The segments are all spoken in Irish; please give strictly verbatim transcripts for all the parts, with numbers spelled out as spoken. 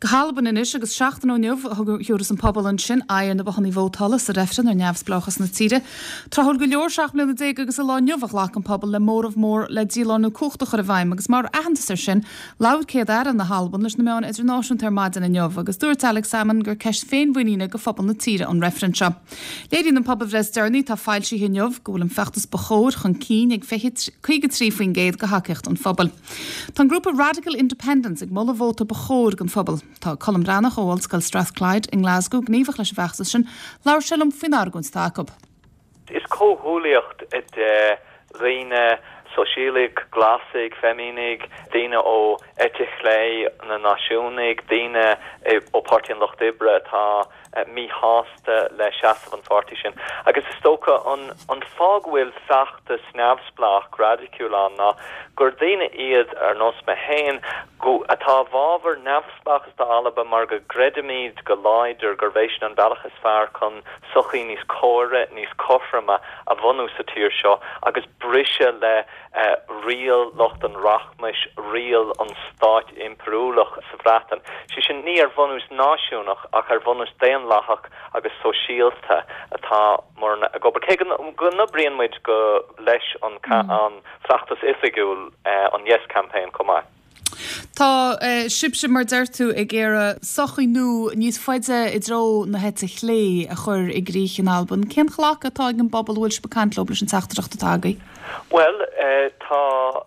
Go hAlbain anois agus seachtain ó inniu a thabharfas an pobal ansin aghaidh ar na bothanna vótála sa reifreann ar neamhspleáchas na tíre. Tráthúil go leor seacht mbliana déag agus an lá inniu a ghlac an pobal le móramh mór le dílárnú cumhachta a chur i bhfeidhm agus mar aitheantas air sin labhair Céad Aire na hAlban leis na meáin idirnáisiúnta ar maidin inniu agus dúirt Alex Salmond gur ceist féinmhuiníne go phobal na tíre an reifreann seo. Léiríonn an pobalbhreith is deireanaí atá foilsithe inniu go bhfuil an feachtas ba chóir chun cinn ag caoga trí faoin gcéad de thacaíocht an phobail. Tá an grúpa Radical Independence ag moladh vóta ba chóir don phobal. Tá Colm Breathnach ó Ollscoil Strathclyde in Glasgow gníomhach leis an bhfeachtas sin, labhair sé liom faoin argóint atá acu. Is comhghuaillíocht de dhaoine sóisialaigh, glasaigh, feimineach, daoine ó eite chlé na náisiúnaigh, daoine ó Páirtí an Lucht Oibre atá míshásta le seasamh an pháirtí sin. Agus is dócha an, an fáth go bhfuil feachtas neamhspleách raidiciúil ann ná gur daoine iad ar nós mé féin atá i bhfabhar neamhspleáchas d'Alba mar go gcreidimid go láidir gurb é sin an bealach is fearr chun sochaí níos córa níos cothroime a bhunú sa tír seo agus briseadh le uh, riail lucht an rachmais riail an stáit impiriúlach sa Bhreatain. Sé sin ní ar bhunús náisiúnach ach ar bhunús daonlathach agus sóisialta atá mar ag obair cé go n-oibríonn muid go leis an mm. an feachtas oifigiúil uh, an Yes campaign chomh maith. Tá uh, sibhse mar deir tú ag iarraidh sochaí nua níos faide i dtreo na heite clé a chur i gcrích in Albain. Cén glacadh atá ag an bpobal bhfuil sibh ag caint leo leis an teachtaireacht atá agaibh? Well uh, tá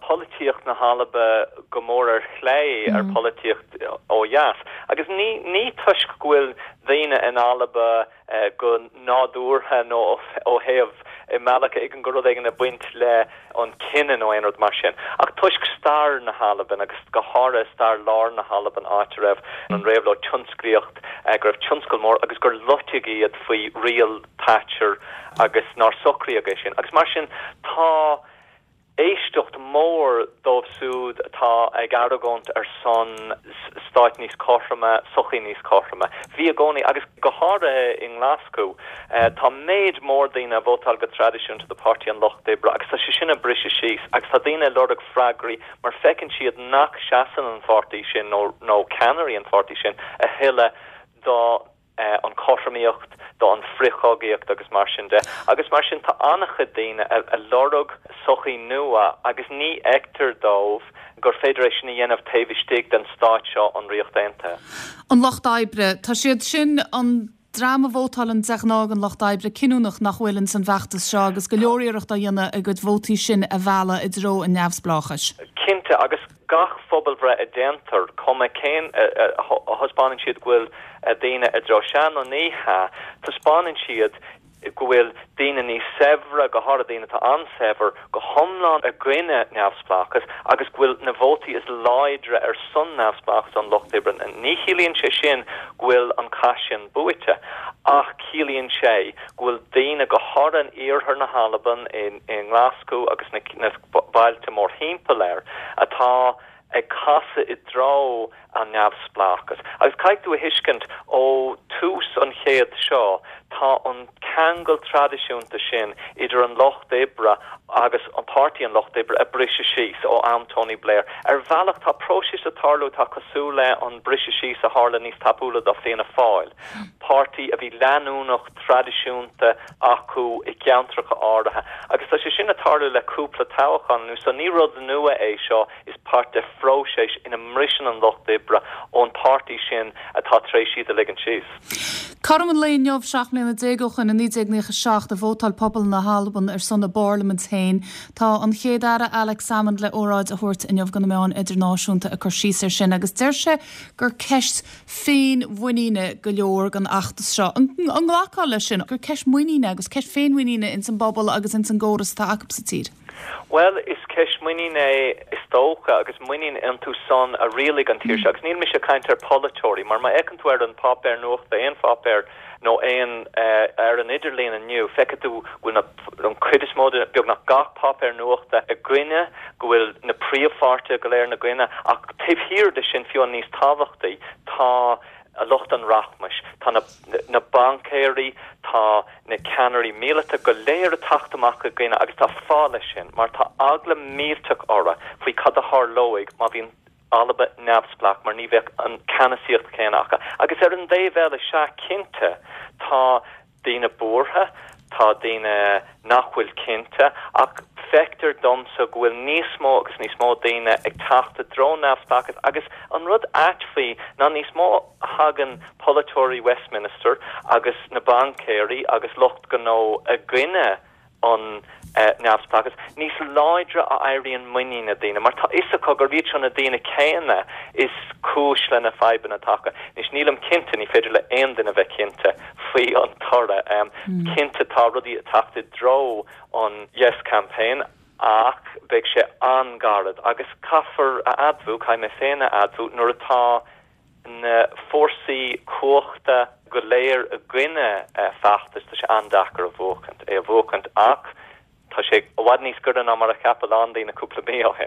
polaitíocht na hAlba go mór ar chlé ar mm. polaitíocht ó dheas. Agus ní ní toisc go bhfuil daoine in Alba uh, go nádúrtha nó ó thaobh i mbealach ag an go rud ag an a baint le an cine nó aon rud mar sin. Ach toisc stair na hAlban agus go háirithe stair lár na hAlban áit a raibh an réabhlóid tionsclaíoch uh, go raibh tionscal mór agus gur loiteadh iad faoi riail Thatcher agus nár socraíodh é sin. Agus mar sin tá éisteacht mór dóibh siúd atá ag argóint ar son stáit níos cothroime sochaí níos cothroime. Bhí i gcónaí agus go háirithe i nGlaschú uh, tá méid mór daoine vótáil go traidisiúnta do Páirtí an Lucht Oibre agus tá sé sin ag briseadh síos agus tá daoine lorg freagraí mar feiceann siad nach seasann an pháirtí sin nó nó ceannairí an pháirtí sin a thuilleadh do uh, an chothromaíocht do an frithchogaíocht agus mar sin de. Agus mar sin tá an-chuid daoine a, a lorg sochaí nua agus ní fheictear dóibh gur féidir é sin a dhéanamh taobh istigh den stát seo an Ríocht Aontaithe. An lucht oibre Tá siad sin an dream a vótálann de ghnáth an lucht oibre cinniúnach nach bhfuil in san bhfeachtas seo agus go leor iarracht á dhéanamh a gcuid vótaí sin a mhealladh i dtreo an neamhspleáchais. Cinnte agus gach pobalbhreith a déantar cuma cén a thaispeánann siad go bhfuil daoine i dtreo sea nó ní hea taispeánann siad go bhfuil daoine níos saibhre go háirithe daoine atá an-saibhir go hiomlán i gcoinne neamhspleáchas agus go bhfuil na vótaí is láidre ar son neamhspleáchas an lucht oibre. Ní chiallaíonn sé sin go bhfuil an cath sin buaite ach ciallaíonn sé go bhfuil daoine go háirithe in iarthar na hAlban in, in Glasgow agus na, na bailte mórthimpeall air atá ag casadh i dtreo an neamhspleáchas. Agus caithfidh tú a thuiscint ó tús an chéad seo tá an ceangal traidisiúnta sin idir an lucht oibre agus an páirtí an lucht oibre ag briseadh síos ó am Tony Blair. Ar bhealach tá próiseas ag tarlú atá cosúil le an briseadh síos a tharla níos tapúla do Fianna Fáil. Páirtí a bhí leanúnach traidisiúnta acu i gceantracha áirithe. Agus tá sé sin ag tarlú le cúpla toghchán nó so ní rud nua é seo is páirt de phróiseas ina mbriseann an lucht oibre ón páirtí sin atá tar éis iad a ligean síos. Cothrom an lae inniu seacht mbliana déag ó shin i naoi déag nócha seacht a vótáil pobal na hAlban ar son a bparlaimint féin. Tá an chéad aire Alex Salmond le óráid a thabhairt inniu do na meáin idirnáisiúnta ag cur síos air sin agus deir sé gur ceist féinmhuiníne go leor den fheachtas seo. An nglacfá leis sin gur ceist muiníne agus ceist féinmhuiníne ins an bpobal agus ins an gcóras atá acu sa tír. Well is ceist muinín é is dócha agus muinín iontu san a rialaigh an tír seo agus níl mise ag caint ar polaiteoirí mar má fhéachann tú ar an páipéar nuachta aon pháipéar nó aon uh, ar an idirlíon inniu feicfidh tú go bhfuil an chuid is mó beagnach gach páipéar nuachta i gcoinne go bhfuil na príomhpháirtithe go léir ina gcoinne ach taobh thiar de sin fiú an níos tábhachtaí tá a lucht an rachmais tá na, na baincéirí tá na ceannairí míleata go léir ag teacht amach i gcoinne agus tá fáth leis sin mar tá eagla millteach orthu faoi cad a tharlóidh má bhíonn Alba neamhspleách mar ní bheadh an ceannasaíocht céanna acu. Agus ar an dtaobh eile sea cinnte tá daoine buartha, tá daoine nach bhfuil cinnte, ach feictear domsa go bhfuil níos mó agus níos mó daoine ag teacht i dtreo neamhspleáchas agus an rud ait faoi ná níos mó a thagann polaiteoirí Westminster agus na baincéirí agus lucht gnó i gcoinne an neamhspleáchas, níos láidre a éiríonn muinín na daoine, mar tá fhios acu gurb iad seo na daoine céanna is cúis le na fadhbanna atá acu. Anois nílim cinnte, ní féidir le aon duine bheith cinnte faoi an toradh. Cinnte tá rudaí ag teacht i dtreo an Yes Campaign ach beidh sé an-ghairid agus caithfear a admhú, caithfidh mé féin a admhú, nuair atá na fórsaí cumhachta go léir i gcoinne feachtas, tá sé an-deacair a bhuachaint, é a bhuachaint ach tá sé i bhfad níos gaire ná mar a cheap a lán daoine cúpla mí ó shin.